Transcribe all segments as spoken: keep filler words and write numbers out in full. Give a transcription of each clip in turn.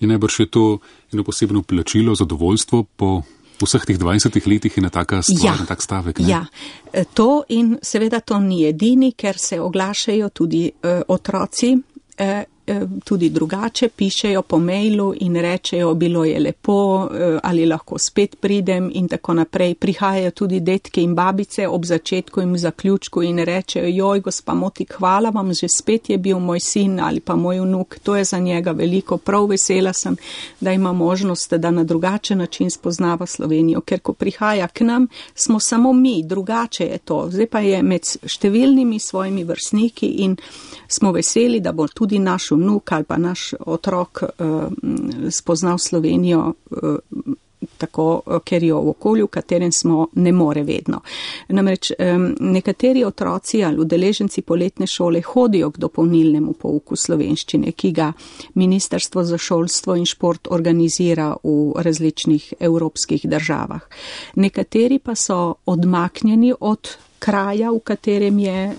In najbrž je to eno posebno plačilo, zadovoljstvo po vseh teh dvajsetih letih in na taka stvar, ja, na tak stavek. Ne? Ja, to in seveda to ni edini, ker se oglašajo tudi uh, otroci, uh, tudi drugače, pišejo po mailu in rečejo, bilo je lepo, ali lahko spet pridem in tako naprej. Prihajajo tudi detke in babice ob začetku in zaključku in rečejo, joj, gospa Motik, hvala vam, že spet je bil moj sin ali pa moj vnuk. To je za njega veliko. Prav vesela sem, da ima možnost, da na drugačen način spoznava Slovenijo, ker ko prihaja k nam, smo samo mi, drugače je to. Zdaj pa je med številnimi svojimi vrstniki in smo veseli, da bo tudi naš vnuk ali pa naš otrok uh, spoznal Slovenijo uh, tako, ker jo v okolju, v katerem smo, ne more vedno. Namreč um, nekateri otroci ali udeleženci poletne šole hodijo k dopolnilnemu pouku slovenščine, ki ga Ministrstvo za šolstvo in šport organizira v različnih evropskih državah. Nekateri pa so odmaknjeni od kraja, v katerem je eh,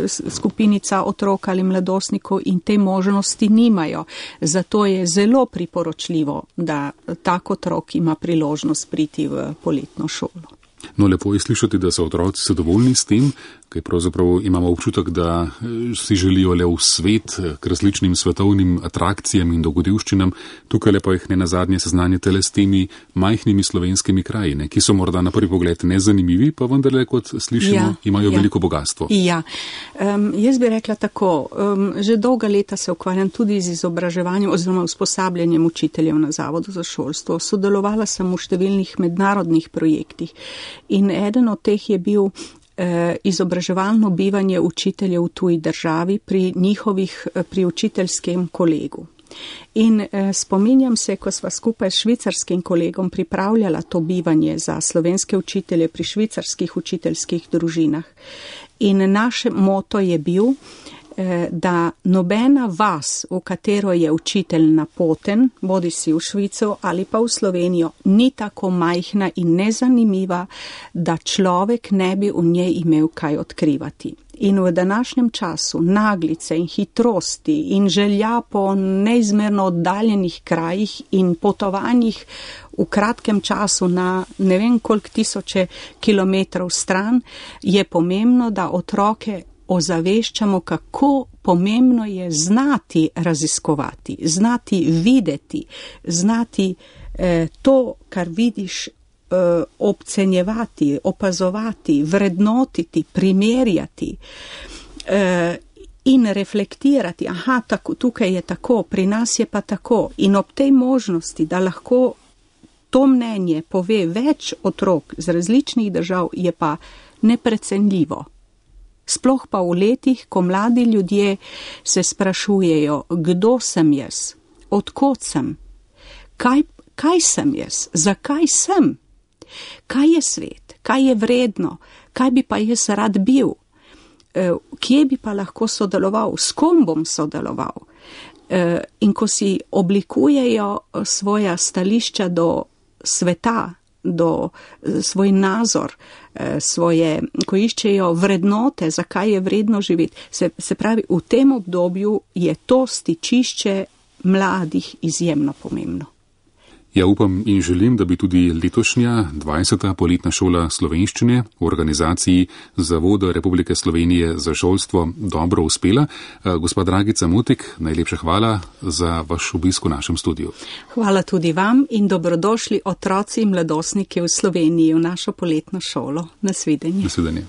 skupinica otrok ali mladostnikov in te možnosti nimajo. Zato je zelo priporočljivo, da tak otrok ima priložnost priti v poletno šolo. No, lepo je slišati, da so otroci zadovoljni s tem, kaj pravzaprav imamo občutek, da si želijo le v svet k različnim svetovnim atrakcijam in dogodivščinam. Tukaj lepo jih ne nazadnje seznanjate le s temi majhnimi slovenskimi kraji, ne, ki so morda na prvi pogled nezanimivi, pa vendarle, kot slišimo, ja, imajo ja. veliko bogatstvo. Ja, um, jaz bi rekla tako, um, že dolga leta se ukvarjam tudi z izobraževanjem oziroma usposabljanjem učiteljev na Zavodu za šolstvo. Sodelovala sem v številnih mednarodnih projektih in eden od teh je bil izobraževalno bivanje učiteljev v tuji državi pri njihovih, pri učiteljskem kolegu. In eh, spominjam se, ko sva skupaj s švicarskim kolegom pripravljala to bivanje za slovenske učitelje pri švicarskih učiteljskih družinah. In naš moto je bil, eh, da nobena vas, v katero je učitelj napoten, bodi si v Švico ali pa v Slovenijo, ni tako majhna in nezanimiva, da človek ne bi v njej imel kaj odkrivati. In v današnjem času naglice in hitrosti in želja po neizmerno oddaljenih krajih in potovanjih v kratkem času na ne vem koliko tisoče kilometrov stran, je pomembno, da otroke ozaveščamo, kako pomembno je znati raziskovati, znati videti, znati eh, to, kar vidiš, obcenjevati, opazovati, vrednotiti, primerjati eh, in reflektirati. Aha, tako, tukaj je tako, pri nas je pa tako. In ob tej možnosti, da lahko to mnenje pove več otrok z različnih držav, je pa neprecenljivo. Sploh pa v letih, ko mladi ljudje se sprašujejo, kdo sem jaz, odkot sem, kaj, kaj sem jaz, zakaj sem, kaj je svet, kaj je vredno, kaj bi pa jaz rad bil, kje bi pa lahko sodeloval, s kom bom sodeloval. In ko si oblikujejo svoja stališča do sveta, do svoj nazor, svoje, ko iščejo vrednote, zakaj je vredno živeti, se, se pravi, v tem obdobju je to stičišče mladih izjemno pomembno. Ja, upam in želim, da bi tudi letošnja dvajseta poletna šola slovenščine v organizaciji Zavoda Republike Slovenije za šolstvo dobro uspela. Gospa Dragica Motik, najlepša hvala za vaš obisk v našem studiu. Hvala tudi vam in dobrodošli otroci in mladostniki v Sloveniji v našo poletno šolo. Nasvidenje. Nasvidenje.